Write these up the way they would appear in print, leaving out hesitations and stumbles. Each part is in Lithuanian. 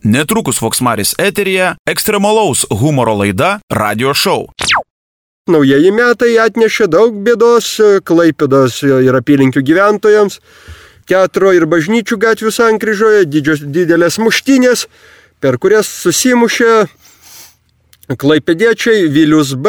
Netrukus Voksmaris eteryje ekstremalaus humoro laida Radio Show. Naujieji metai atnešė daug bėdos Klaipėdos ir apylinkių gyventojams. Teatro ir bažnyčių gatvių sankryžoje didelės muštynės, per kurias susimušė klaipėdiečiai Vilius B,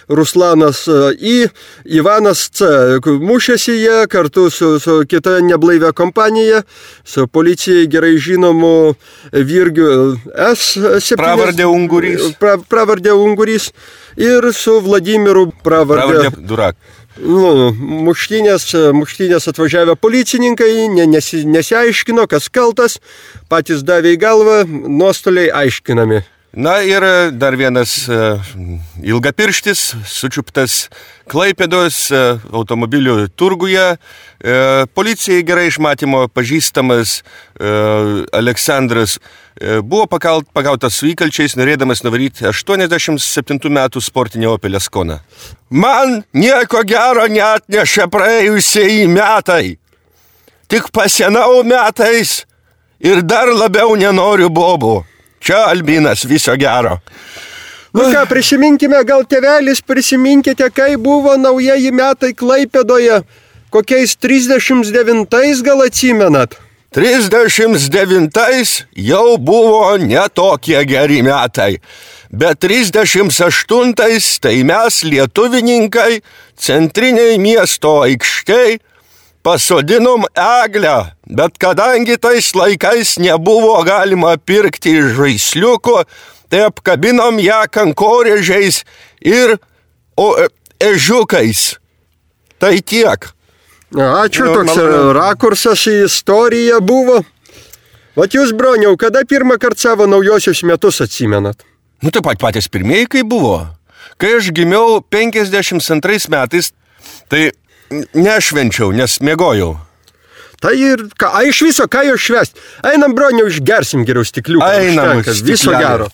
Ruslanas I, Ivanas C. Mušėsi jie kartu su kita neblaivia kompanija, su policijai gerai žinomu Virgiu S. Pravardė Ungurys. Pravardė Ungurys ir su Vladimiru pravardė Durak. Muštynės atvažiavę policininkai nesiaiškino, kas kaltas, patys davė į galvą, nuostoliai aiškinami. Na ir dar vienas ilgapirštis, sučiuptas Klaipėdos automobilių turguje. Policijai gerai išmatymo pažįstamas Aleksandras buvo pagautas su įkalčiais, norėdamas nuvaryti 87 metų sportinį Opel Ascona. Man nieko gero neatnešė praėjusieji metai. Tik pasienau metais ir dar labiau nenoriu bobų. Čia Albinas, viso gero. Ką, prisiminkime, gal tėvelis, prisiminkite, kai buvo naujieji metai Klaipėdoje, kokiais 39 gal atsimenat? 39 jau buvo netokie geri metai, bet 38 tai mes lietuvininkai centriniai miesto aikštėj pasodinom eglę, bet kadangi tais laikais nebuvo galima pirkti žaisliukų, tai apkabinom ją kankorėžiais ir ežiukais. Tai tiek. Ačiū, toks rakursas į istoriją buvo. Vat jūs, broniau, kada pirmą kartą savo naujosius metus atsimenat? Tai patys pirmieji, kai buvo. Kai aš gimiau 52 metais, tai nešvenčiau, nes mėgojau. Tai ir iš viso, ką jau švęst? Einam, broniau, išgersim geriau stikliuką. Einam, viso gero.